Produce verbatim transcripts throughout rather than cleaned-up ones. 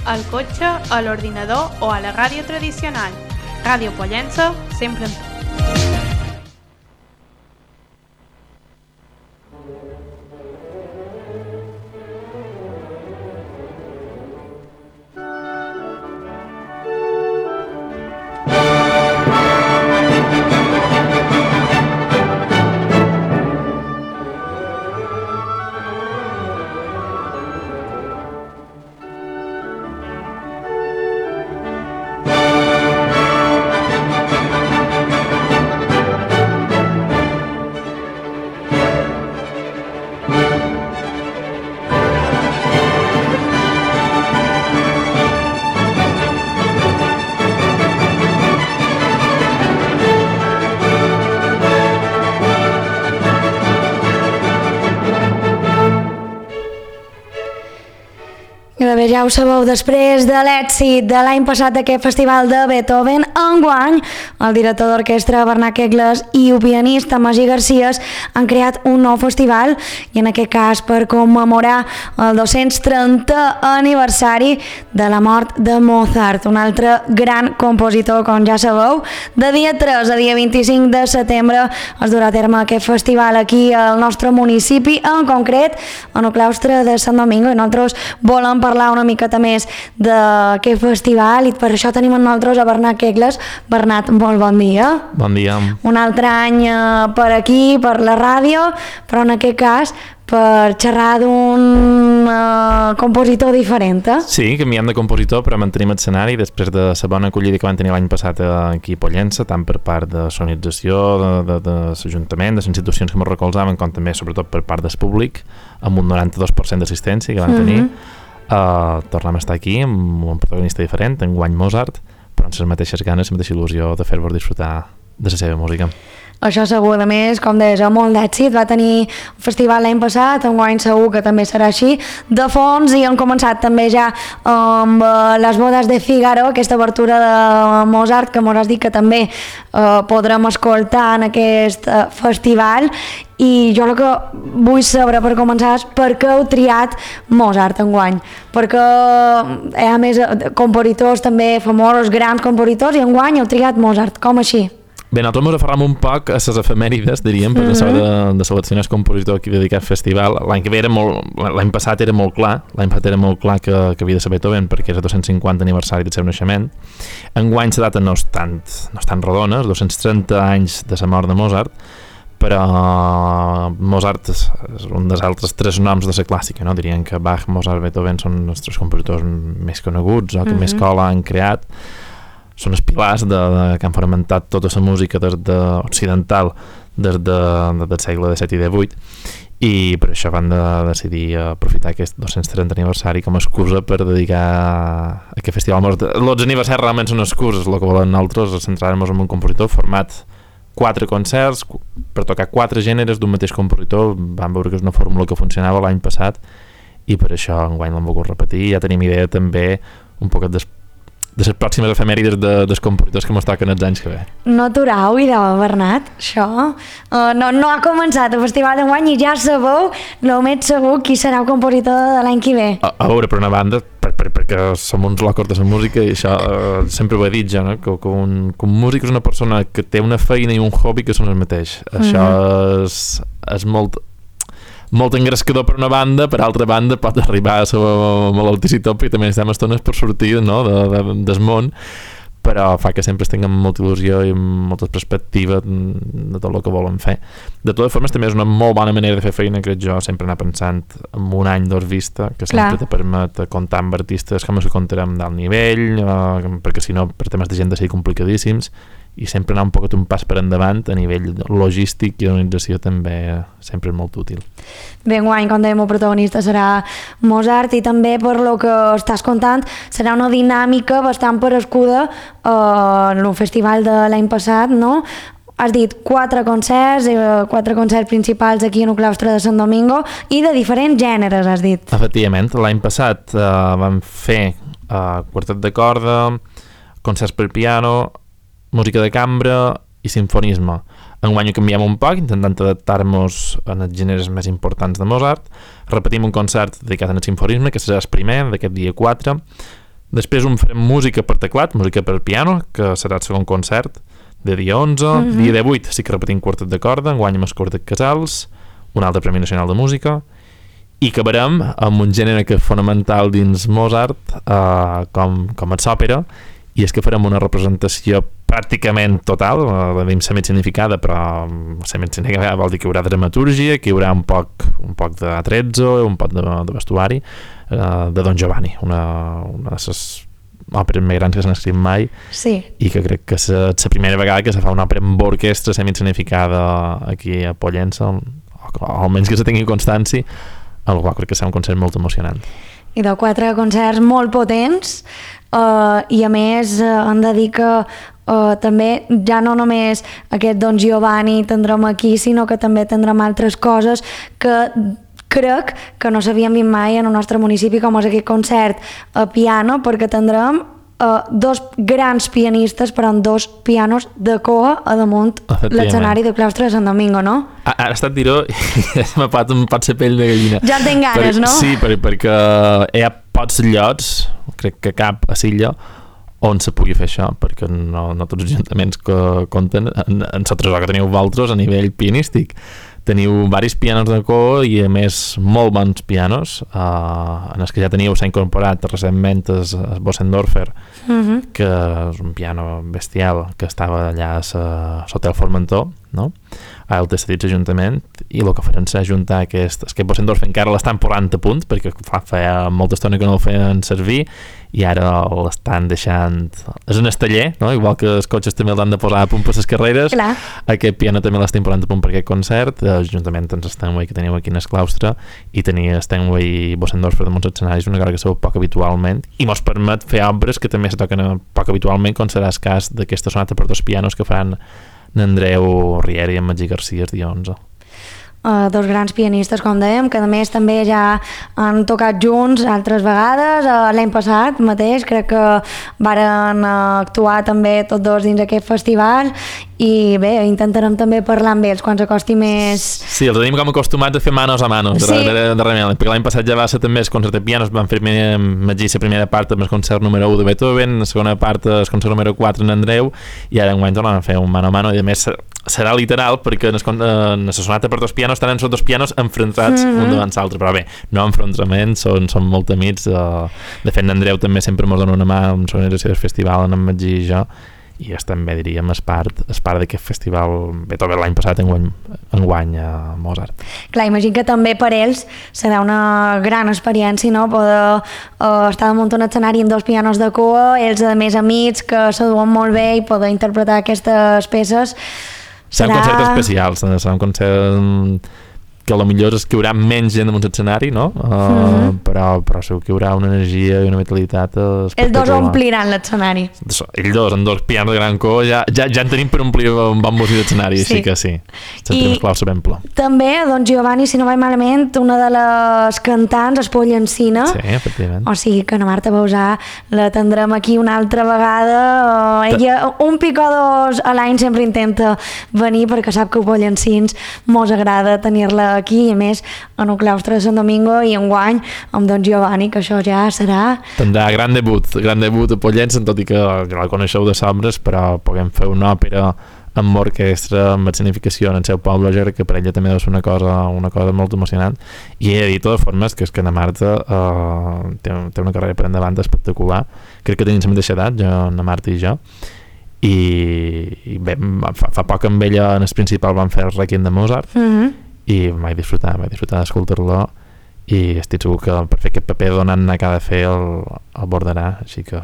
al cotxe, a l'ordinador o a la ràdio tradicional. Ràdio Pollença, sempre amb tu. Ja ho sabeu, després de l'èxit de l'any passat d'aquest festival de Beethoven, enguany el director d'orquestra Bernat Quegles i el pianista Magí Garcés han creat un nou festival, i en aquest cas per commemorar el dos-cents trentè aniversari de la mort de Mozart, un altre gran compositor, com ja sabeu. De dia tres a dia vint-i-cinc de setembre es durà a terme aquest festival aquí al nostre municipi, en concret en el claustre de Sant Domingo, i nosaltres volem parlar una miqueta més d'aquest festival, i per això tenim amb nosaltres a Bernat Quegles. Bernat, molt bon dia. Bon dia. Un altre any per aquí, per la ràdio, però en aquest cas per xerrar d'un uh, compositor diferent. Eh? Sí, canviem de compositor, però mantenim l'escenari després de la bona acollida que van tenir l'any passat aquí a Pollença, tant per part de sonització, de, de, de l'Ajuntament, de les institucions que ens recolzaven, com també, sobretot, per part del públic, amb un noranta-dos per cent d'assistència que van tenir. Mm-hmm. Uh, tornem a estar aquí amb un protagonista diferent, enguany Mozart, però amb les mateixes ganes, la mateixa il·lusió de fer-vos disfrutar de la seva música. Això segur, a més, com deies, molt d'èxit. Va tenir un festival l'any passat, enguany segur que també serà així. De fons, i han començat també ja amb uh, les bodes de Figaro, aquesta obertura de Mozart, que m'ho has dit que també uh, podrem escoltar en aquest uh, festival. I jo el que vull saber, per començar, és per què heu triat Mozart enguany? Perquè hi ha més compositors també famosos, grans compositors, i enguany heu triat Mozart. Com així? Bé, nosaltres ens aferram un poc a les efemèrides, diríem, per mm-hmm. de, de seleccionar el compositor aquí dedicat al festival. L'any que ve era molt, l'any passat era molt clar, l'any passat era molt clar que, que havia de ser Beethoven, perquè és el dos-cents cinquanta aniversari del seu naixement. Enguany la data no és tan, no és tan rodona, els dos-cents trenta anys de la mort de Mozart, però Mozart és un dels altres tres noms de la clàssica, no? Dirien que Bach, Mozart, Beethoven són els tres compositors més coneguts o que mm-hmm. més cola han creat. Són els pilars de, de, que han fonamentat tota la música des de, occidental des de, de, del segle disset i divuit, i per això van de, decidir aprofitar aquest dos-cents trenta aniversari com a excusa per dedicar a aquest festival. Els aniversaris realment són excuses, el que volen nosaltres és centrar-nos en un compositor, format quatre concerts per tocar quatre gèneres d'un mateix compositor. Vam veure que és una fórmula que funcionava l'any passat, i per això enguany l'hem volgut repetir. Ja tenim idea també un poquet després de les pròximes efemèrides de, dels compositors que mos toquen els anys que ve. No aturau, idò, Bernat, això. Uh, no, no ha començat el festival d'enguany i ja sabeu, el més segur, qui serà el compositor de l'any que ve. A, a veure, per una banda, per, per, perquè som uns locos de la música, i això uh, sempre ho he dit ja, no? que, que, un, que un músic és una persona que té una feina i un hobby que són el mateix. Mm-hmm. Això és, és molt... molt engrescador per una banda, per altra banda pot arribar a ser molt altíssim, i també estem estones per sortir, no? de, de, del món, però fa que sempre tinguem molta il·lusió i molta perspectiva de tot el que volen fer. De totes formes, també és una molt bona manera de fer feina, crec jo, sempre anar pensant en un any d'hora vista, que sempre te permet comptar amb artistes com els que comptarem d'alt nivell, eh, perquè si no, per temes d'agenda sigui complicadíssims, i sempre anar un poc un pas per endavant a nivell logístic i d'organització també sempre és molt útil. Bé, enguany, com dèiem, el protagonista serà Mozart, i també per lo que estàs contant serà una dinàmica bastant parescuda eh, en el festival de l'any passat, no? Has dit quatre concerts, eh, quatre concerts principals aquí en el claustre de Sant Domingo, i de diferents gèneres, has dit. Efectivament, l'any passat eh, vam fer eh, quartet de corda, concerts per piano, música de cambra i sinfonisme. Enguany ho canviem un poc, intentant adaptar-nos en els gèneres més importants de Mozart. Repetim un concert dedicat al sinfonisme, que serà el primer d'aquest dia quatre. Després un farem música per teclat, música per piano, que serà el segon concert, de dia onze, mm-hmm. dia divuit sí que repetim quartet de corda, enguany amb el quartet Casals, un altre Premi Nacional de Música, i acabarem amb un gènere que és fonamental dins Mozart, eh, com, com és òpera, i és que farem una representació pràcticament total, la diem semi-significada, però semi-significada vol dir que hi haurà dramatúrgia, que hi haurà un poc, un poc de attrezzo, un poc de, de vestuari, eh, de Don Giovanni, una, una de les òperes més grans que s'han escrit mai, sí. I que crec que és la primera vegada que se fa una òpera amb orquestra semi-significada aquí a Pollença, o almenys que se tingui constància, el qual crec que serà un concert molt emocionant. I de quatre concerts molt potents, uh, i a més uh, hem de dir que uh, també ja no només aquest Don Giovanni tindrem aquí, sinó que també tindrem altres coses que crec que no s'havien vist mai en el nostre municipi, com és aquest concert a piano, perquè tindrem uh, dos grans pianistes, però amb dos pianos de coa a damunt l'escenari del claustre de Sant Domingo, no? Ara ha estat dir-ho i m'ha pot, pot ser pell de gallina. Ja en tinc ganes, per, no? Sí, per, perquè hi ha pocs llocs, crec que cap a Silla, on se pugui fer això, perquè no, no tots els ajuntaments que compten en, en la tresor que teniu vosaltres a nivell pianístic. Teniu diversos pianos de coa i a més molt bons pianos, uh, en els que ja teníeu s'ha incorporat recentment el, el Bossendorfer, uh-huh. que és un piano bestial que estava allà a l'Hotel Formentor, no? Ara el té cedit l'Ajuntament, i el que farem serà ajuntar aquest, aquest Bossendorfer encara l'estan posant a punt, perquè fa, feia molta estona que no el feien servir, i ara l'estan deixant... És un estaller, no? Igual que els cotxes també l'han de posar a punt per les carreres. Clar. Aquest piano també l'estan posant a punt per aquest concert. L'Ajuntament tens Steinway que teniu aquí en el claustre, i tenia Steinway i Bossendorfer damunt els escenaris, una cosa que sabeu poc habitualment, i mos permet fer obres que també se toquen poc habitualment, com serà el cas d'aquesta sonata per dos pianos que faran n'Andreu Riera i en Magí Garcia el dia onze. Uh, dos grans pianistes, com dèiem, que a més també ja han tocat junts altres vegades. Uh, l'any passat mateix crec que varen uh, actuar també tots dos dins aquest festival, i bé, intentarem també parlar amb ells quan s'acosti més... Sí, els tenim com acostumats a fer manos a manos, sí. de, de, de remel, perquè l'any passat ja va ser també el concert de pianos, van fer Magí la primera part amb el concert número u de Beethoven, la segona part el concert número quatre en Andreu, i ara enguany tornem a fer un mano a mano, i a més serà literal, perquè en la sonata per dos pianos estan els dos pianos enfrontats mm-hmm. un davant l'altre, però bé, no enfrontaments, són, són molt amics, de fet n'Andreu també sempre mos dona una mà en la organització del festival, en Magí i jo, i és també, diríem, es part, es part d'aquest festival Beethoven l'any passat enguany, enguany a Mozart. Clar, imagino que també per ells serà una gran experiència, no? Poder uh, estar damunt un escenari amb dos pianos de cua, ells a més amics que s'aduen molt bé, i poder interpretar aquestes peces. Serà un concert especial, serà un concert que potser és que hi haurà menys gent damunt l'escenari, no? Uh, mm-hmm. però, però segur que hi haurà una energia i una vitalitat espectacular. Els dos ompliran l'escenari. Ells dos, amb dos pianos de gran cor, ja, ja, ja en tenim per omplir un bon músic d'escenari, sí. Així que sí, sentim el clau sabem ple. També, Don Giovanni, si no vaig malament, una de les cantants es Pollencina. Sí, efectivament. O sigui que na Marta Bausà la tindrem aquí una altra vegada. Uh, ella, un pic o dos a l'any sempre intenta venir, perquè sap que a Pollencins mos agrada tenir-la aquí, i a més en el claustre de Sant Domingo, i enguany amb Don Giovanni, que això ja serà... Tindrà gran debut, gran debut a Pollença, tot i que ja la coneixeu de sobres, però puguem fer una òpera amb orquestra, amb significació en el seu poble, jo crec que per ella també deu ser una cosa, una cosa molt emocionant. I he de dir, de totes formes, que és que na Marta uh, té, té una carrera per endavant espectacular. Crec que tenim la mateixa edat, jo, na Marta i jo, i, i bé, fa, fa poc amb ella en el principal van fer el Requiem de Mozart, mm-hmm. i vaig disfrutar, vaig disfrutar d'escoltar-lo, i estic segur que per fer aquest paper donant que ha de fer el, el bordarà, així que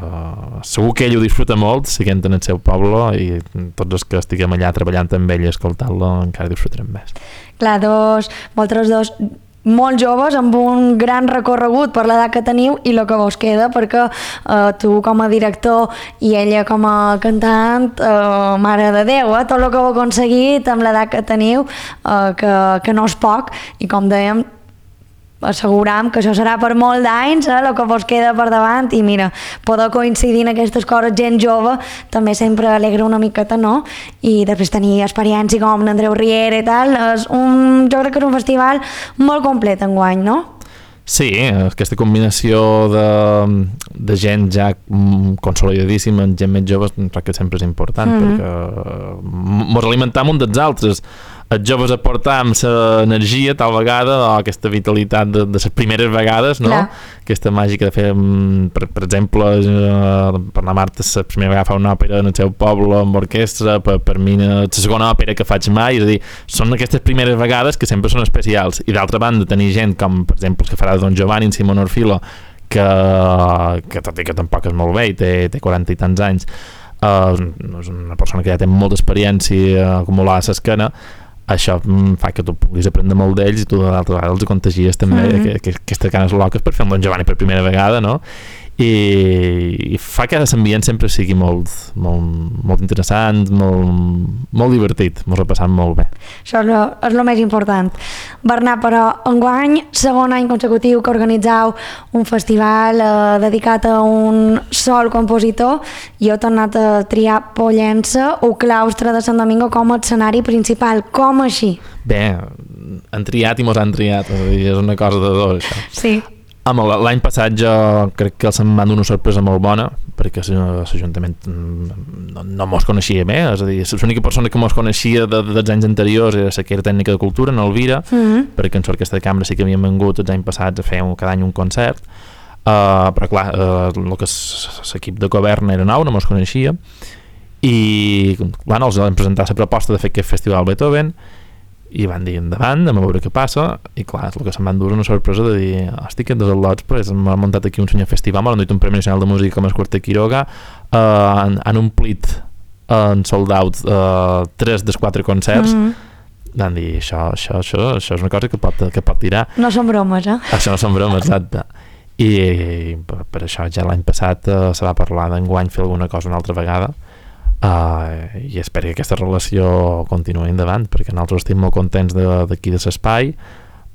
segur que ell ho disfruta molt seguint en el seu poble, i tots els que estiguem allà treballant amb ell i escoltant-lo encara disfrutarem més. Clar, dos, vosaltres dos molt joves, amb un gran recorregut per l'edat que teniu i el que vos queda, perquè eh, tu com a director i ella com a cantant, eh, mare de Déu, eh, tot el que heu aconseguit amb l'edat que teniu, eh, que, que no és poc, i com dèiem, asseguram que això serà per molt d'anys, eh, el que vos queda per davant, i mira, poder coincidir en aquestes coses gent jove també sempre alegra una miqueta, no? I després tenir experiència com l'Andreu Riera i tal, és un, jo crec que és un festival molt complet enguany, no? Sí, aquesta combinació de, de gent ja consolidadíssima, gent més jove, crec que sempre és important, mm-hmm. perquè mos alimentam un dels altres. Els joves aportam l'energia tal vegada, o aquesta vitalitat de, de les primeres vegades, no? Clar. Aquesta màgica de fer, per, per exemple, per la Marta la primera vegada fa una òpera en el seu poble amb orquestra, per, per mi la segona òpera que faig mai, és a dir, són aquestes primeres vegades que sempre són especials. I d'altra banda tenir gent com, per exemple, que farà Don Giovanni en Simon Orfilo, que, que tot i que tampoc és molt bé i té, té quaranta i tants anys, uh, és una persona que ja té molta experiència acumulada a l'esquena, això fa que tu puguis aprendre molt d'ells i tu d'altra vegada els contagies també mm-hmm. que, que, aquestes ganes loques per fer un Don Giovanni per primera vegada, no? I, i fa que l'ambient sempre sigui molt, molt, molt interessant, molt, molt divertit, ens ho repassem molt bé. Això és lo, és lo més important. Bernat, però enguany, segon any consecutiu que organitzeu un festival eh, dedicat a un sol compositor, i heu tornat a triar Pollença o Claustre de Sant Domingo com a escenari principal. Com així? Bé, han triat i mos han triat, és a dir, és una cosa de dos, això. Sí. L'any passat jo crec que se'm van donar una sorpresa molt bona, perquè l'Ajuntament no, no mos coneixia bé, és a dir, l'única persona que mos coneixia de, de, dels anys anteriors era la que era tècnica de cultura, en Elvira, mm-hmm. perquè en l'orquestra de cambra sí que havíem vengut els anys passats a fer un, cada any un concert, uh, però clar, uh, el que l'equip de govern era nou, no mos coneixia, i bueno, els vam presentar la proposta de fer aquest festival Beethoven, i van dir endavant, a veure què passa, i clar, és el que se'm van dur una sorpresa de dir, hosti, que des del lots pues, m'ha muntat aquí un senyor festival, m'han dit un Premi Nacional de Música com el Quartet Quiroga, uh, han, han omplit en uh, sold out uh, tres dels quatre concerts, mm-hmm. van dir, això, això, això, això és una cosa que pot, que pot tirar. No són bromes, eh? Això no són bromes, exacte. I, i per, per això ja l'any passat uh, se va parlar d'enguany fer alguna cosa una altra vegada, Uh, i espero que aquesta relació continuï endavant, perquè nosaltres estem molt contents d'aquí de l'espai.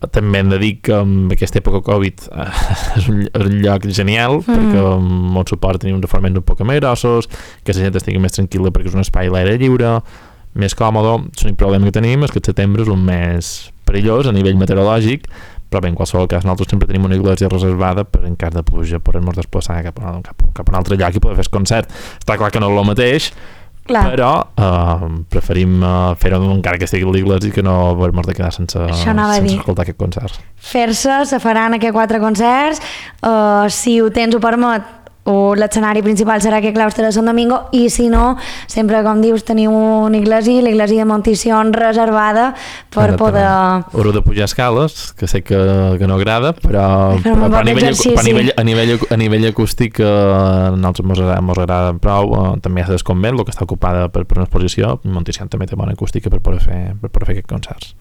També hem de dir que en aquesta època Covid uh, és, un, és un lloc genial, mm. perquè molt suport tenir uns reforments un poc més grossos, que la gent estigui més tranquil·la perquè és un espai a l'aire lliure, més còmode. L'únic problema que tenim és que el setembre és un mes perillós a nivell meteorològic, però bé, en qualsevol cas nosaltres sempre tenim una iglesia reservada per en cas de pluja poder-nos desplaçar cap a, cap, cap a un altre lloc i poder fer el concert. Està clar que no és el mateix, clar. Però uh, preferim uh, fer-ho encara que estigui a l'església i que no haver-nos de quedar sense, sense escoltar aquest concert. Fer-se, se faran aquests quatre concerts, uh, si ho tens ho permet, o l'escenari principal serà aquest Claustre de Sant Domingo, i si no, sempre, com dius, teniu una iglesia, l'església de Montición reservada per poder... Haureu de pujar escales, que sé que, que no agrada, però, però, però a, nivell, a, nivell, a, nivell, a nivell acústic a nosaltres mos agrada, mos agrada prou, uh, també hi ha Desconvent, el que està ocupada per, per una exposició, Montición també té bona acústica per poder fer, per poder fer aquests concerts.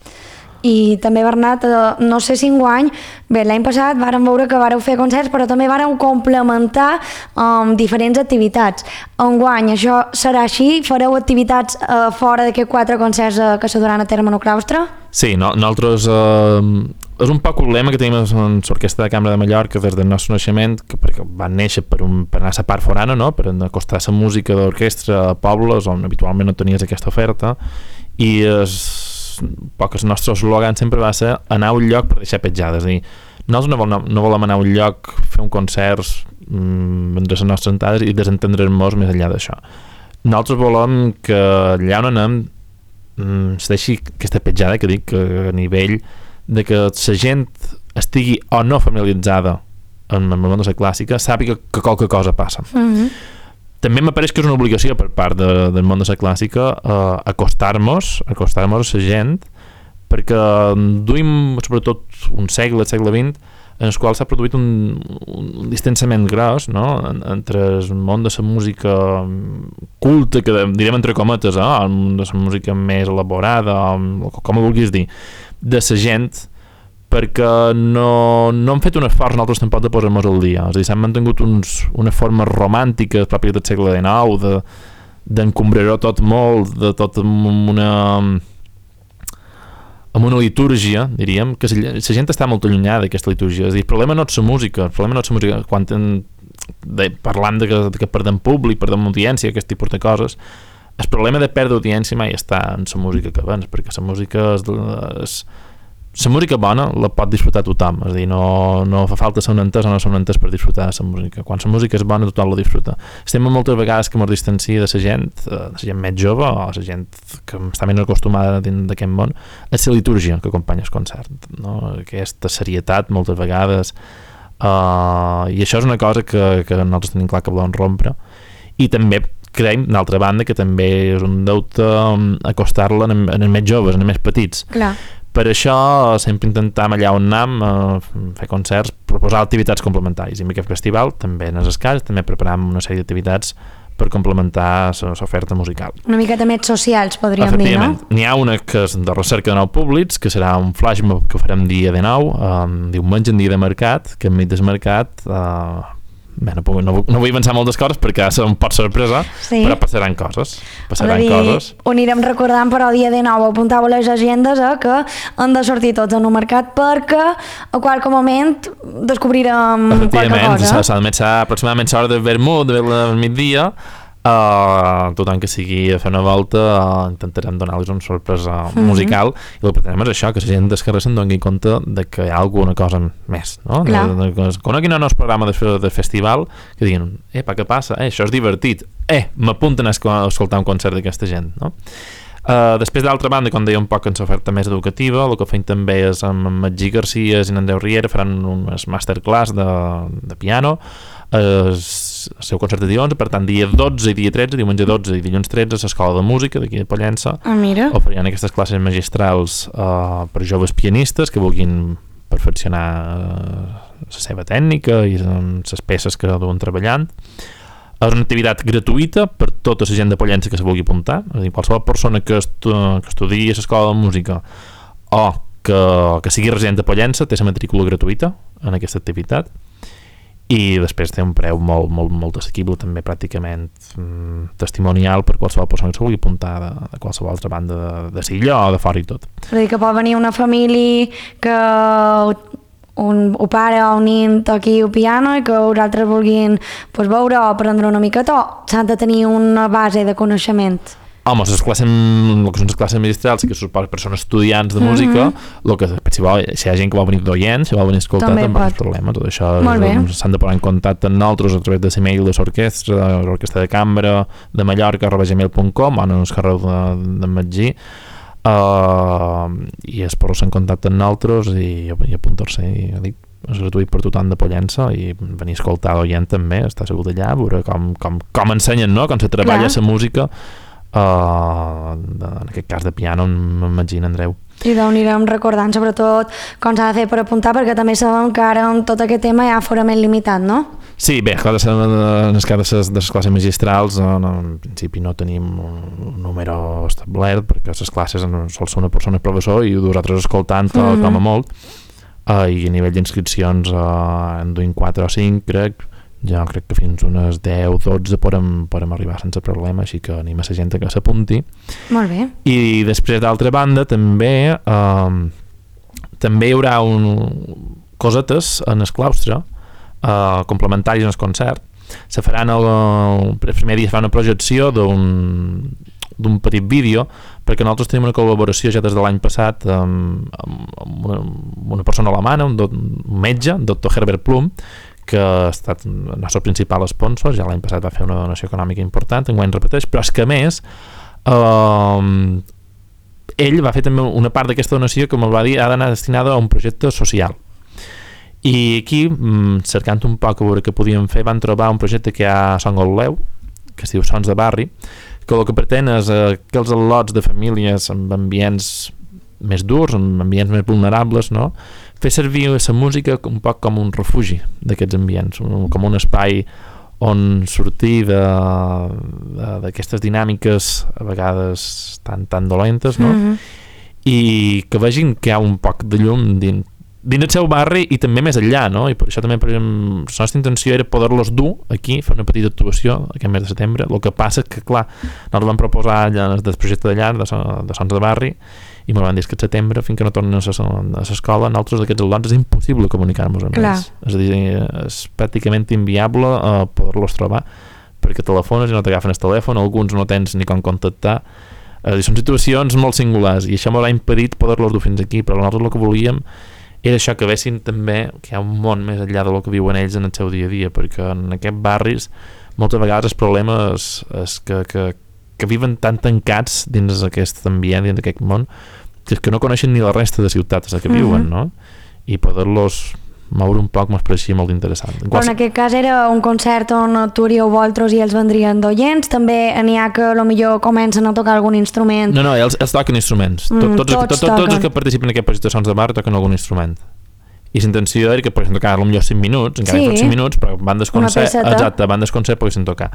I també, Bernat, no sé si enguany, bé, l'any passat vàrem veure que vàreu fer concerts, però també vàreu complementar um, diferents activitats. Enguany això serà així? Fareu activitats uh, fora d'aquests quatre concerts uh, que se duran a terme en el claustre? Sí, no, nosaltres... Uh, és un poc el lema que tenim en l'Orquestra de Cambra de Mallorca des del nostre naixement, que perquè van néixer per, un, per anar a la part forana, no? Per acostar la música d'orquestra a pobles on habitualment no tenies aquesta oferta, i és... poc el nostre eslògan sempre va ser anar a un lloc per deixar petjades, és a dir, nosaltres no, vol, no volem anar a un lloc, fer un concert, mmm, vendre les nostres entrades i desentendre'ns més enllà d'això. Nosaltres volem que allà on anem mmm, es deixi aquesta petjada que dic, que a nivell de que la gent estigui o no familiaritzada amb el món de la clàssica, sàpiga que qualque cosa passa. Mm-hmm. També m'apareix que és una obligació per part de, del món de la clàssica eh, acostar-nos, acostar-nos a la gent, perquè duim sobretot un segle, el segle vint, en el qual s'ha produït un, un distanciament gros, no? Entre el món de la música culta, que direm entre cometes, eh? El món de la música més elaborada, com ho vulguis dir, de la gent, perquè no, no hem fet un esforç nosaltres tampoc de posar-nos al dia, és a dir, s'han mantingut uns, una forma romàntica pròpia del segle dinou, de, d'encombrar-ho tot molt, de tot amb una amb una litúrgia, diríem, que la gent està molt allunyada d'aquesta litúrgia, és a dir, el problema no és la música, el problema no és la música, quan ten, de, parlant de que, de que perdem públic, perdem audiència, aquest tipus de coses, el problema de perdre audiència mai està en la música que abans, perquè la música és, és la música bona la pot disfrutar tothom, és a dir, no, no fa falta ser un entès o no ser un entès per disfrutar de la música. Quan la música és bona tothom la disfruta. Estem moltes vegades que ens distancia de la gent, de la gent més jove o la gent que està menys acostumada dins d'aquest món, és la litúrgia que acompanya el concert, no? Aquesta serietat moltes vegades, uh, i això és una cosa que, que nosaltres tenim clar que volem rompre, i també creiem, d'altra banda, que també és un deute acostar-la en, en els més joves, en els més petits. Clar. Per això sempre intentam allà on anem eh, fer concerts, proposar activitats complementàries. I en aquest festival també en les cases també preparem una sèrie d'activitats per complementar l'oferta musical. Una miqueta més socials, podríem dir, no? N'hi ha una que és de recerca de nous públics, que serà un flash mob que farem dia de nou, eh, diumenge en dia de mercat, que enmig del mercat... Eh, Bé, no, puc, no, no vull pensar moltes coses perquè serà un pot sorpresa, sí. Però passaran coses. Passaran dir, coses. Ho anirem recordant, però dia de nou apuntava les agendes eh, que han de sortir tots en un mercat perquè a qualque moment descobrirem qualque cosa. Efectivament, aproximadament l'hora del vermut, del migdia, Uh, tothom que sigui a fer una volta uh, intentarem donar-los una sorpresa mm-hmm. musical, i el que pretenem és això, que la gent del carrer se'n doni compte de que hi ha alguna cosa més, no? De, de, de, coneguin el nostre programa de, de festival, que diguin, epa, què passa? Eh, això és divertit, eh, m'apunten a escoltar un concert d'aquesta gent, no? Uh, després, d'altra banda, com deia un poc en l'oferta més educativa, el que fem també és amb Magí Garcia i en Andreu Riera faran unes masterclass de, de piano, el seu concert de dilluns, per tant dia dotze i dia tretze, diumenge dotze i dilluns tretze a l'Escola de Música d'aquí de Pollença. Ah, mira. Oferien aquestes classes magistrals uh, per joves pianistes que vulguin perfeccionar uh, la seva tècnica i les peces que duen treballant. És una activitat gratuïta per tota la gent de Pollença que se vulgui apuntar, és a dir, qualsevol persona que, estu que estudiï a l'Escola de Música o que, que sigui resident de Pollença té la matrícula gratuïta en aquesta activitat. I després té un preu molt, molt, molt assequible, també pràcticament mm, testimonial per qualsevol persona que se vulgui apuntar de, de qualsevol altra banda de, de Silla o de fora i tot. És a dir, que pot venir una família que un, un pare o un nin toqui el piano i que els altres vulguin pues, veure o aprendre una miqueta, o s'han de tenir una base de coneixement. Home, les classes, el que són les classes magistrals, que són per persones estudiants de música, mm-hmm. el que, si, vol, si hi ha gent que vol venir d'oients, si vol venir a escoltar, també no és problema. Tot això s'han de posar en contacte amb nosaltres a través de l'email de l'orquestra, de l'orquestra de cambra de Mallorca, arroba gmail punt com, o en el carrer de, de Magí, uh, i es posen en contacte amb nosaltres i, i apuntar-se. I, dic, és gratuït per tothom de Pollença i venir a escoltar d'oient també, està segur d'allà, veure com, com, com ensenyen, no? Com se treballa la música. Uh, de, en aquest cas de piano, m'imagino, Andreu. I d'on anirem recordant sobretot com s'ha de fer per apuntar, perquè també sabem que ara amb tot aquest tema hi ha aforament limitat, no? Sí, bé, clar, en el cas de les classes magistrals no, no, en principi no tenim un número establert, perquè les classes sol ser una persona professor i vosaltres escoltant mm-hmm. com a molt, uh, i a nivell d'inscripcions uh, en duim quatre o cinc, crec. Jo crec que fins unes deu o dotze podem, podem arribar sense problema, així que anim a la gent que s'apunti. Molt bé. I després, d'altra banda, també eh, també hi haurà un, cosetes en el claustre eh, complementaris en el concert. Se faran el, el primer dia es fa una projecció d'un d'un petit vídeo, perquè nosaltres tenim una col·laboració ja des de l'any passat amb, amb una, una persona alemana, un, do, un metge, el doctor Herbert Plum, que ha estat el nostre principal sponsor, ja l'any passat va fer una donació econòmica important, enguany repeteix, però és que a més eh, ell va fer també una part d'aquesta donació, com el va dir, ha d'anar destinada a un projecte social. I aquí, cercant un poc a veure què podíem fer, van trobar un projecte que hi ha a Son Gotleu, que es diu Sons de Barri, que el que pretén és eh, que els al·lots de famílies amb ambients més durs, amb ambients més vulnerables, no? Fer servir la música un poc com un refugi d'aquests ambients, un, com un espai on sortir d'aquestes dinàmiques a vegades tan, tan dolentes, no? Mm-hmm. I que vegin que hi ha un poc de llum dins, dins el seu barri i també més enllà, no? I per això també, per exemple, la nostra intenció era poder-los dur aquí, fer una petita actuació aquest mes de setembre. El que passa és que, clar, nosaltres vam proposar allà del projecte de llar de, de Sons de Barri i m'ho van dir que el setembre, fins que no tornen a l'escola, nosaltres d'aquests al·lots és impossible comunicar-nos amb ells. És a dir, és pràcticament inviable uh, poder-los trobar, perquè telefones i no t'agafen el telèfon, alguns no tens ni com contactar, Eh, són situacions molt singulars i això m'ha impedit poder-los dur fins aquí, però nosaltres el que volíem era això, que vessin també que hi ha un món més enllà del que viuen ells en el seu dia a dia, perquè en aquests barris moltes vegades el problema és, és que, que, que viven tan tancats dins aquest ambient, dins d'aquest món, que és que no coneixen ni la resta de ciutats a que viuen, no? I poder-los moure un poc m'ho pareixia molt interessant. En Però en aquest cas era un concert on actuaríeu vosaltres i ells vendrien d'oients, també n'hi ha que potser comencen a tocar algun instrument. No, no, ells, ells toquen instruments. Mm, tots, tots, tots tots, tots els que participen en aquest projecte de Sons de Bar toquen algun instrument. I l'intenció era que poguessin tocar potser cinc minuts, encara sí. que cinc minuts, però bandes concert, exacte, bandes concert poguessin tocar.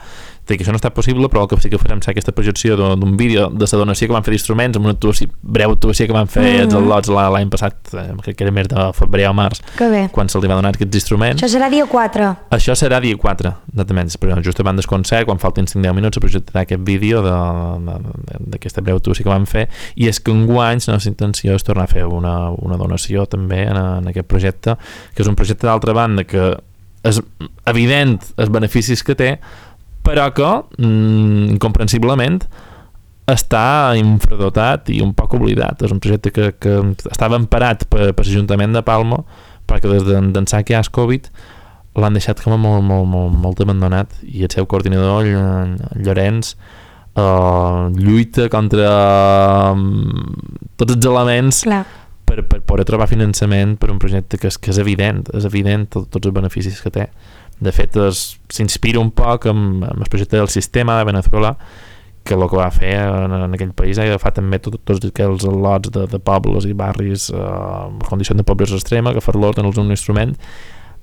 Dir que això no està possible, però el que sí que farem serà aquesta projecció d'un vídeo de la donació que van fer d'instruments, amb una actuació, breu actuació que van fer mm -hmm. els al·lots l'any passat, crec que era més de febrer o març, quan se'ls va donar aquests instruments. Això serà dia quatre. Això serà dia quatre, exactament, però just a bandes concert, quan faltin cinc deu minuts, se projectarà aquest vídeo d'aquesta breu actuació que van fer, i és que enguany la nostra intenció és tornar a fer una, una donació també en, en aquest projecte, que és un projecte d'altra banda que és evident els beneficis que té, però que mm, incomprensiblement està infradotat i un poc oblidat. És un projecte que, que estava emparat per, per l'Ajuntament de Palma, perquè des d'ençà que hi ha el Covid l'han deixat com a molt, molt, molt, molt abandonat, i el seu coordinador, Llorenç, eh, lluita contra um, tots els elements Clar. per, per poder trobar finançament per un projecte que és, que és evident, és evident tot, tots els beneficis que té. De fet, s'inspira un poc amb, amb el projecte del sistema de Venezuela, que el que va fer en, en aquell país ha agafat també tot, tots aquells al·lots de, de pobles i barris eh, en condició de pobresa extrema, agafar-los, donar-los un instrument,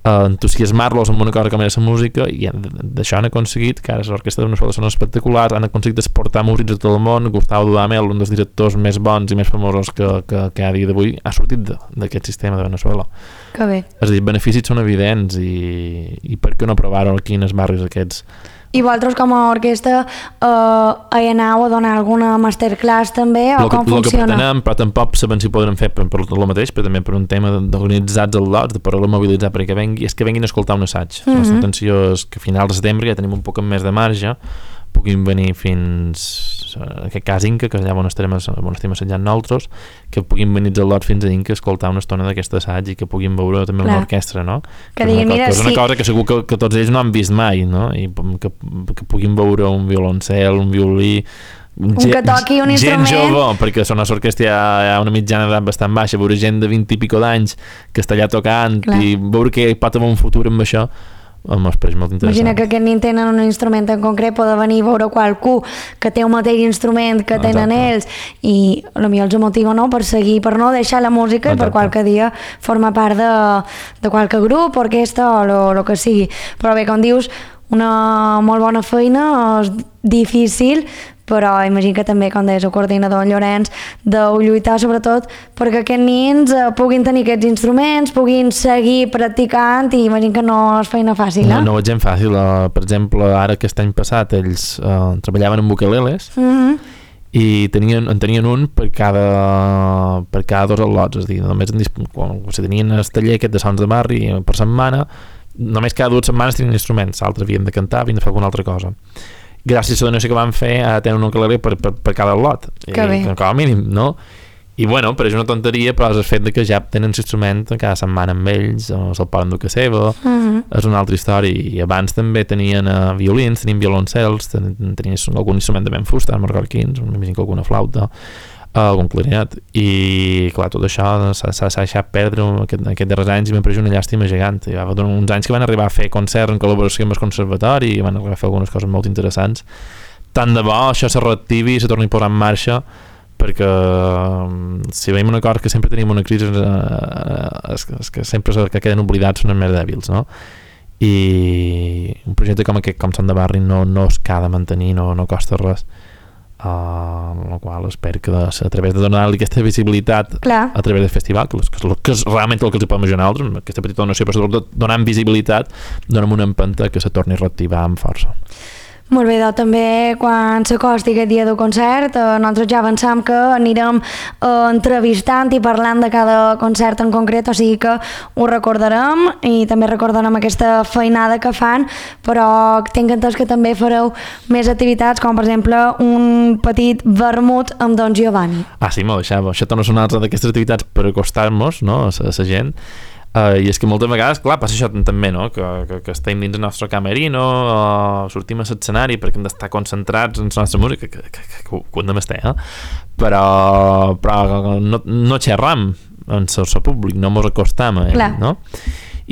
eh, entusiasmar-los amb una cosa com era la música, i d'això han aconseguit que ara l'orquestra de Venezuela són espectaculars, han aconseguit exportar músics de tot el món. Gustavo Dudamel, un dels directors més bons i més famosos que, que, que a dia d'avui ha sortit d'aquest sistema de Venezuela. Que bé. És a dir, beneficis són evidents, i, i per què no provar-ho aquí en els barris aquests? I vosaltres com a orquestra eh, hi aneu a donar alguna masterclass també, o lo com que, funciona? Lo que pretenem, però tampoc sabem si podrem fer per, per el mateix, però també per un tema d'organitzats al·lots, de poder-lo mobilitzar perquè vengui, és que venguin a escoltar un assaig. Mm -hmm. La nostra intenció és que a finals de setembre ja tenim un poc més de marge, puguin venir fins en aquest cas Inca, que és allà on estem, on estem assetjant nosaltres, que puguin venir els al·lots fins a Inca a escoltar una estona d'aquest assaig i que puguin veure també una orquestra, no? Que, que, diguin, una, mira, que és una sí. cosa que segur que, que tots ells no han vist mai, no? I que, que puguin veure un violoncel, un violí, un que toqui un instrument, gent jove, perquè són una orquestra hi ha, hi ha una mitjana d'edat bastant baixa, veure gent de vint i pico d'anys que està allà tocant, clar, i veure que pot haver un futur amb això, m'ho pareix molt interessant. Imagina que aquest nin tenen un instrument en concret, poder venir a veure qualcú que té un mateix instrument que tenen exacte. Ells, i potser els motiva, no?, per seguir, per no deixar la música exacte. I per qualque dia formar part de, de qualque grup, orquestra o el que sigui. Però bé, com dius, una molt bona feina, és difícil, però imagino que també, com deies, el coordinador Llorenç, deu lluitar sobretot perquè aquests nins eh, puguin tenir aquests instruments, puguin seguir practicant, i imagino que no és feina fàcil, eh? No, no és gent fàcil. Uh, per exemple, ara aquest any passat ells uh, treballaven amb ukeleles, mm-hmm. i tenien, en tenien un per cada, per cada dos al·lots, és a dir, només en, quan si tenien el taller aquest de sons de barri per setmana, només cada dues setmanes tenien instruments, l'altre havien de cantar, havien de fer alguna altra cosa. Gràcies a la donació que van fer a tenir un ukelele per, per, per cada lot, i, com a mínim, no? I bueno, però és una tonteria, però és el fet de que ja tenen l'instrument cada setmana amb ells, o se'l poden dur a seva, uh-huh. és una altra història. I abans també tenien uh, violins, tenien violoncels, tenien, tenien algun instrument de ben fusta, marroquins, m'imagino que alguna flauta, algun clarinet, i clar, tot això s'ha deixat perdre aquest, aquest darrers anys, i m'ha pareixit una llàstima gegant. Hi va haver uns anys que van arribar a fer concerts en col·laboració amb el conservatori, i van arribar a fer algunes coses molt interessants. Tant de bo això se reactivi i se torni a posar en marxa, perquè si veiem una cosa que sempre tenim una crisi, eh, és, és que sempre és que queden oblidats, són els més dèbils, no? I un projecte com aquest, com Son de Barri, no, no es ha de mantenir, no, no costa res. Uh, amb la qual espero que de, a través de donar-li aquesta visibilitat Clar. A través del festival, que, que, és, que és realment el que els podem imaginar nosaltres, aquesta petita donació, però sobretot donant visibilitat, donem una empenta que se torni a reactivar amb força. Molt bé, doncs també quan s'acosti aquest dia del concert, eh, nosaltres ja avançam que anirem eh, entrevistant i parlant de cada concert en concret, o sigui que ho recordarem i també recordarem aquesta feinada que fan, però tinc entès que també fareu més activitats, com per exemple un petit vermut amb Don Giovanni. Ah, sí, molt, això, això no són altres d'aquestes activitats per acostar-nos, no?, a la gent. Uh, i és que moltes vegades, clar, passa això també, no? que, que, que estem dins el nostre camerino, uh, sortim a l'escenari perquè hem d'estar concentrats en la nostra música, que, que, que, que ho hem d'estar, eh? però, però no, no xerram en el públic, no mos acostam a ell, no?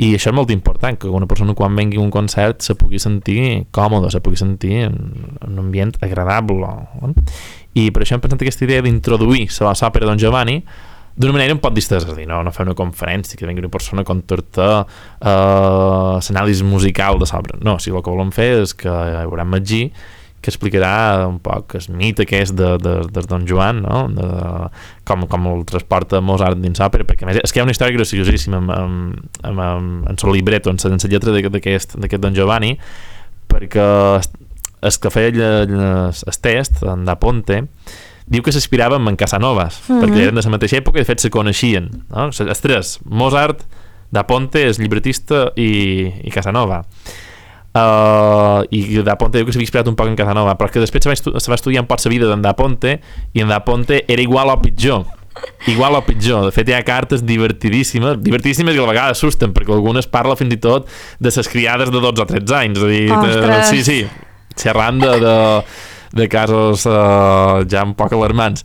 I això és molt important, que una persona quan vengui a un concert se pugui sentir còmode, se pugui sentir en, en un ambient agradable, no? I per això hem pensat aquesta idea d'introduir la òpera Don Giovanni d'una manera un poc distesa, és a dir, no, no fer una conferència que vingui una persona a contar-te uh, l'anàlisi musical de l'obra. No, si el que volem fer és que hi haurà Magí que explicarà un poc el mite aquest de, de, de Don Joan, no? De, com, com el transporta Mozart dins l'òpera, perquè a més és que hi ha una història graciosíssima amb, amb, amb, amb, en el libretto, en la lletra d'aquest Don Giovanni, perquè el que feia el test, en Da Ponte, diu que s'inspirava en Casanovas, mm-hmm. perquè eren de la mateixa època i de fet se coneixien, no? Els tres, Mozart, Da Ponte, el llibretista i, i Casanova. Uh, i Da Ponte diu que s'havia inspirat un poc en Casanova, però que després se va, estu se va estudiar un poc la vida d'en Da Ponte i en Da Ponte era igual o pitjor. Igual o pitjor. De fet hi ha cartes divertidíssimes, divertidíssimes i a la vegada assusten, perquè algunes parla fins i tot de ses criades de dotze o tretze anys. És a dir, de, sí, sí, xerrant de... de de casos uh, ja un poc alarmants,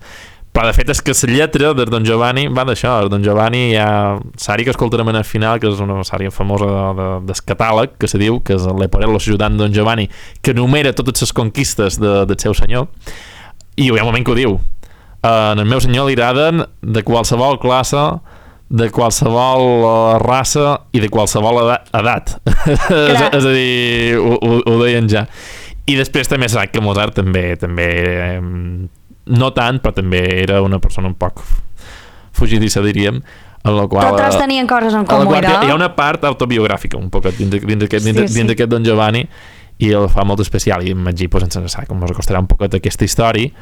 però de fet és que la lletra de Don Giovanni va d'això. Don Giovanni hi ha l'ària que escoltarem en el final, que és una ària famosa de, de, del catàleg, que se diu que és el Leporello ajudant Don Giovanni, que enumera totes les conquistes de, del seu senyor, i hi ha un moment que ho diu, uh, en el meu senyor li agraden de qualsevol classe, de qualsevol uh, raça i de qualsevol edat. és, és a dir, ho, ho, ho deien ja. I després també s'ha que Mozart també, també eh, no tant, però també era una persona un poc fugidissa, diríem, en la qual... Totes tenien coses en comú, no? Hi ha una part autobiogràfica, un poc dins d'aquest sí, sí. Don Giovanni, i el fa molt especial, i Magí, pues, ens sabe com ens acostarà un poc d'aquesta història,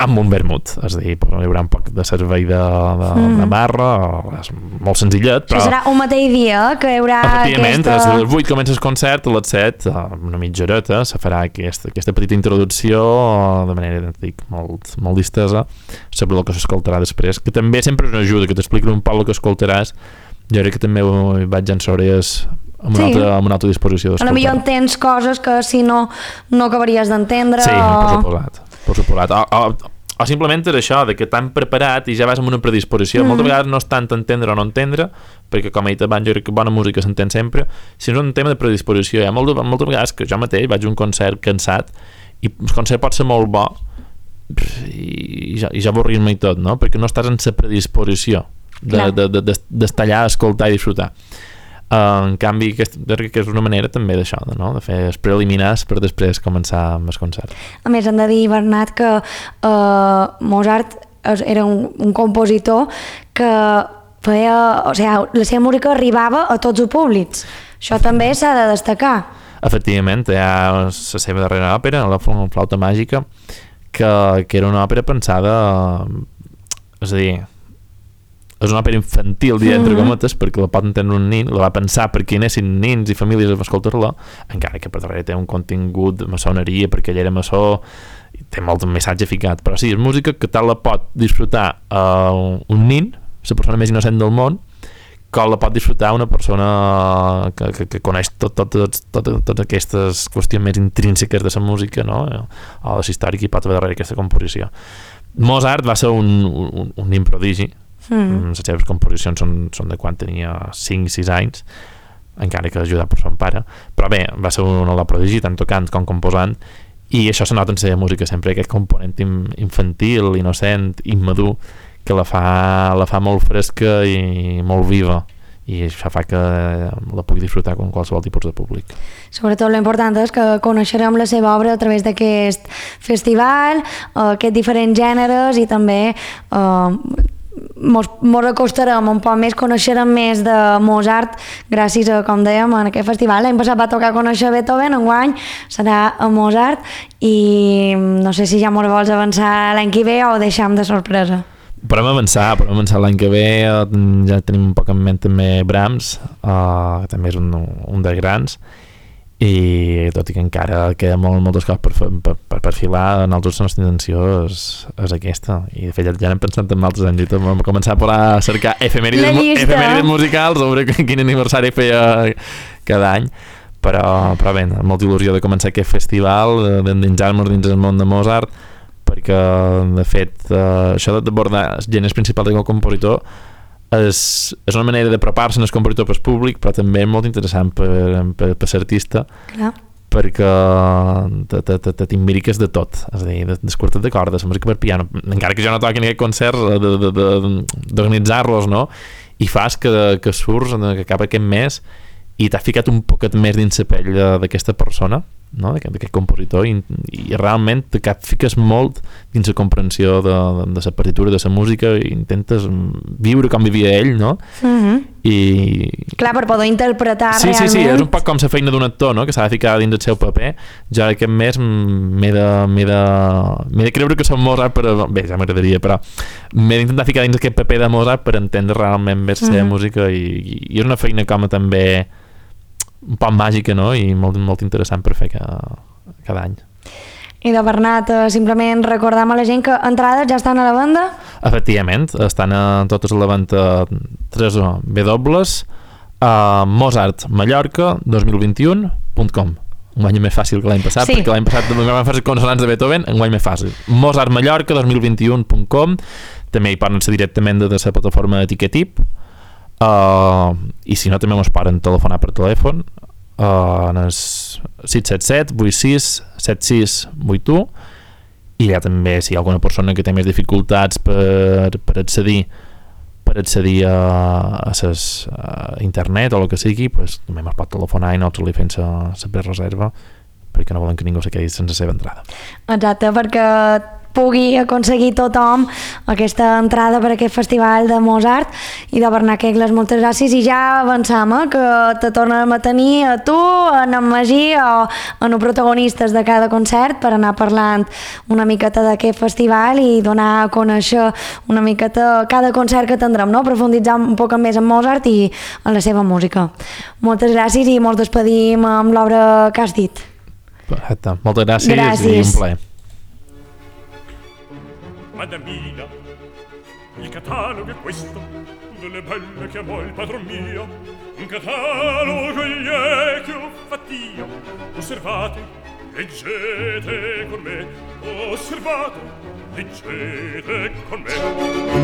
amb un vermut, és a dir, hi haurà un poc de servei de, de, mm. de barra, és molt senzillet, però... Això serà un mateix dia que hi haurà efectivament, aquesta... a les vuit comença el concert, a les set, una mitja horeta, se farà aquesta, aquesta petita introducció de manera, dic, molt, molt distesa sobre el que s'escoltarà després, que també sempre és una ajuda, que t'expliquen un poc el que escoltaràs. Jo crec que també vaig en sobres amb, sí. altra, amb una altra disposició d'escoltar. A lo millor entens coses que si no, no acabaries d'entendre. Sí, o... per suposat. Per suposat. O, o, o simplement és això, de que t'han preparat i ja vas amb una predisposició. Mm. Moltes vegades no és tant entendre o no entendre, perquè com he dit abans, jo crec que bona música s'entén sempre, sinó un tema de predisposició. Hi ha moltes, moltes vegades que jo mateix vaig a un concert cansat i el concert pot ser molt bo i ja, i ja avorrir-me i tot, no? Perquè no estàs en la predisposició d'estar de, de, de, de, allà, escoltar i disfrutar. Uh, en canvi, aquest, que és una manera també d'això, no? De fer els preliminars per després començar amb el concert. A més, hem de dir, Bernat, que uh, Mozart era un, un compositor que feia, o sigui, la seva música arribava a tots els públics. Això també s'ha de destacar. Efectivament, hi ha la seva darrera òpera, la Flauta Màgica, que, que era una òpera pensada, és a dir, és una òpera infantil, dir, entre cometes, perquè la pot entendre un nin, la va pensar perquè hi anessin nins i famílies a escoltar-la, encara que per darrere té un contingut de maçoneria, perquè ell era maçó, i té molt missatge ficat, però sí, és música que tal la pot disfrutar uh, un nin, la persona més innocent del món, com la pot disfrutar una persona que, que, que coneix tot, tot, tot, tot, totes aquestes qüestions més intrínseques de la música, no? O de la història que hi pot haver darrere aquesta composició. Mozart va ser un, un, un nin prodigi. Mm. Les seves composicions són, són de quan tenia cinc sis anys, encara que ajudat per son pare, però bé, va ser un de prodigi tant tocant com composant, i això se nota en la seva música sempre, aquest component infantil, innocent, immadur, que la fa, la fa molt fresca i molt viva, i això fa que la pugui disfrutar com qualsevol tipus de públic. Sobretot l'important és que coneixerem la seva obra a través d'aquest festival, aquests diferents gèneres, i també eh, mos, mos acostarem un poc més, coneixerem més de Mozart gràcies a, com dèiem, en aquest festival. L'any passat va tocar conèixer Beethoven, enguany serà a Mozart, i no sé si ja mos vols avançar l'any que ve o ho deixem de sorpresa. Podem avançar, podem avançar l'any que ve, ja tenim un poc en ment també Brahms, uh, que també és un, un dels grans, i tot i que encara queda molt, moltes coses per, per, per perfilar, nosaltres la nostra intenció és, és aquesta, i de fet ja, ja n'hem pensat en altres anys i tot, vam començar a cercar efemèrides, efemèrides musicals sobre quin aniversari feia cada any, però, però bé, amb molta il·lusió de començar aquest festival, d'endinsar-nos dins el món de Mozart, perquè de fet eh, això d'abordar els gèneres principals del compositor és, és una manera d'apropar-se al compositor pel públic, però també és molt interessant per, per, per ser artista. Perquè te, te, te, te t'imbriques de tot, és a dir, dels quartets de corda, la música per piano, encara que jo no toqui en aquest concert, d'organitzar-los, no? I fas que, que surts, que acaba aquest mes i t'has ficat un poquet més dins la pell d'aquesta persona, no? D'aquest compositor, i, i realment te fiques molt dins la comprensió de, de, de la partitura, de la música, i intentes viure com vivia ell, no? Mm-hmm. I... Clar, per poder interpretar sí, realment. Sí, sí, és un poc com la feina d'un actor, no? Que s'ha de ficar dins el seu paper. Jo aquest mes m'he de, m'he de, m'he de creure que som Mozart, però bé, ja m'agradaria, però m'he d'intentar ficar dins aquest paper de Mozart per entendre realment bé la seva mm-hmm. música, i, i és una feina com a també un poc màgica, no? I molt, molt interessant per fer cada, cada any. I de Bernat, simplement recordam a la gent que entrades ja estan a la venda? Efectivament, estan a totes a la venda tres W a mozart mallorca dos mil vint-i-un punt com. Un any més fàcil que l'any passat, sí. Perquè l'any passat vam fer consonants de Beethoven, un any més fàcil. mozart mallorca dos mil vint-i-un punt com. També hi poden ser directament de la plataforma de Ticketip. Uh, i si no també ens poden telefonar per telèfon uh, en el sis set set vuit sis set sis vuit u, i ja també si hi ha alguna persona que té més dificultats per, per accedir per accedir a, a, ses, a internet o el que sigui, pues, també ens pot telefonar i nosaltres li fem la prereserva, perquè no volen que ningú se quedi sense la seva entrada. Exacte, perquè pugui aconseguir tothom aquesta entrada per aquest festival de Mozart. I de Bernat Quegles, moltes gràcies, i ja avançam, eh, que te tornem a tenir a tu, en en Magí o en els protagonistes de cada concert per anar parlant una miqueta d'aquest festival i donar a conèixer una miqueta cada concert que tindrem, no? Profunditzar un poc més en Mozart i en la seva música. Moltes gràcies i ens despedim amb l'obra que has dit. Perfecte, moltes gràcies, gràcies. I un plaer. Madamina, il catalogo è questo, delle belle che amò il padron mio, un catalogo gli è che ho fatt'io. Osservate, leggete con me, osservate, leggete con me.